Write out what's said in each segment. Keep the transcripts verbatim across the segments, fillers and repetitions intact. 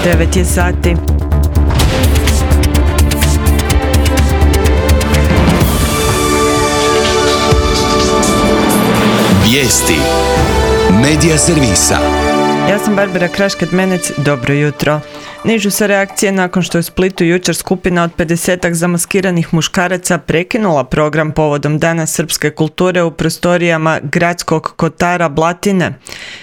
devet je sati. Vijesti Medija servisa. Ja sam Barbara Krašket-Menec, dobro jutro. Nižu se reakcije nakon što je u Splitu jučer skupina od pedesetak zamaskiranih muškaraca prekinula program povodom Dana srpske kulture u prostorijama gradskog kotara Blatine.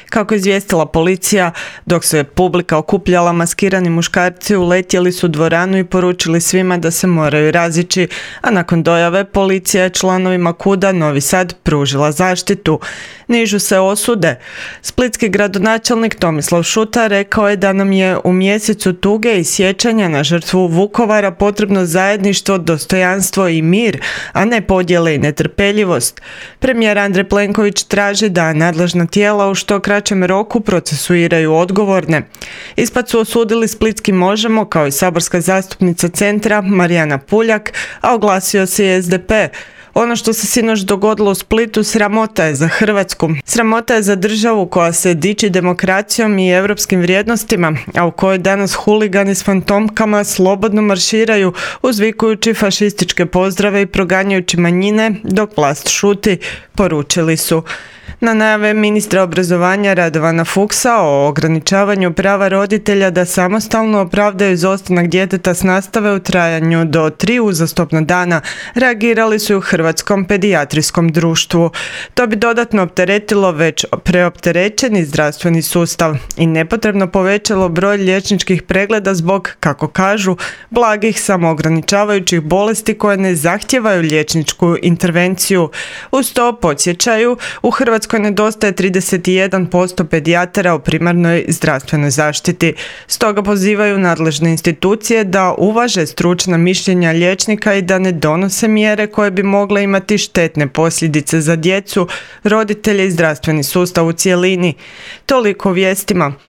Kako je izvijestila policija, dok se publika okupljala, maskirani muškarci uletjeli su u dvoranu i poručili svima da se moraju razići, a nakon dojave policija je članovima KUD-a Novi Sad pružila zaštitu. Nižu se osude. Splitski gradonačelnik Tomislav Šuta rekao je da nam je u mjesecu tuge i sjećanja na žrtvu Vukovara potrebno zajedništvo, dostojanstvo i mir, a ne podjele i netrpeljivost. Premijer Andrej Plenković traži da nadležna tijela u što kraćem roku procesuiraju odgovorne. Ispad su osudili Splitski Možemo kao i saborska zastupnica Centra Marijana Puljak, a oglasio se i S D P. Ono što se sinoć dogodilo u Splitu sramota je za Hrvatsku. Sramota je za državu koja se diči demokracijom i europskim vrijednostima, a u kojoj danas huligani s fantomkama slobodno marširaju uzvikujući fašističke pozdrave i proganjajući manjine dok vlast šuti, poručili su. Na najave ministra obrazovanja Radovana Fuchsa o ograničavanju prava roditelja da samostalno opravdaju izostanak djeteta s nastave u trajanju do tri uzastopna dana reagirali su u Hrvatskom pedijatrijskom društvu. To bi dodatno opteretilo već preopterećeni zdravstveni sustav i nepotrebno povećalo broj liječničkih pregleda zbog, kako kažu, blagih samoograničavajućih bolesti koje ne zahtijevaju liječničku intervenciju. Uz to podsjećaju, u Hrvatskoj nedostaje trideset jedan posto pedijatara u primarnoj zdravstvenoj zaštiti. Stoga pozivaju nadležne institucije da uvaže stručna mišljenja liječnika i da ne donose mjere koje bi mogle imati štetne posljedice za djecu, roditelje i zdravstveni sustav u cjelini. Toliko o vijestima.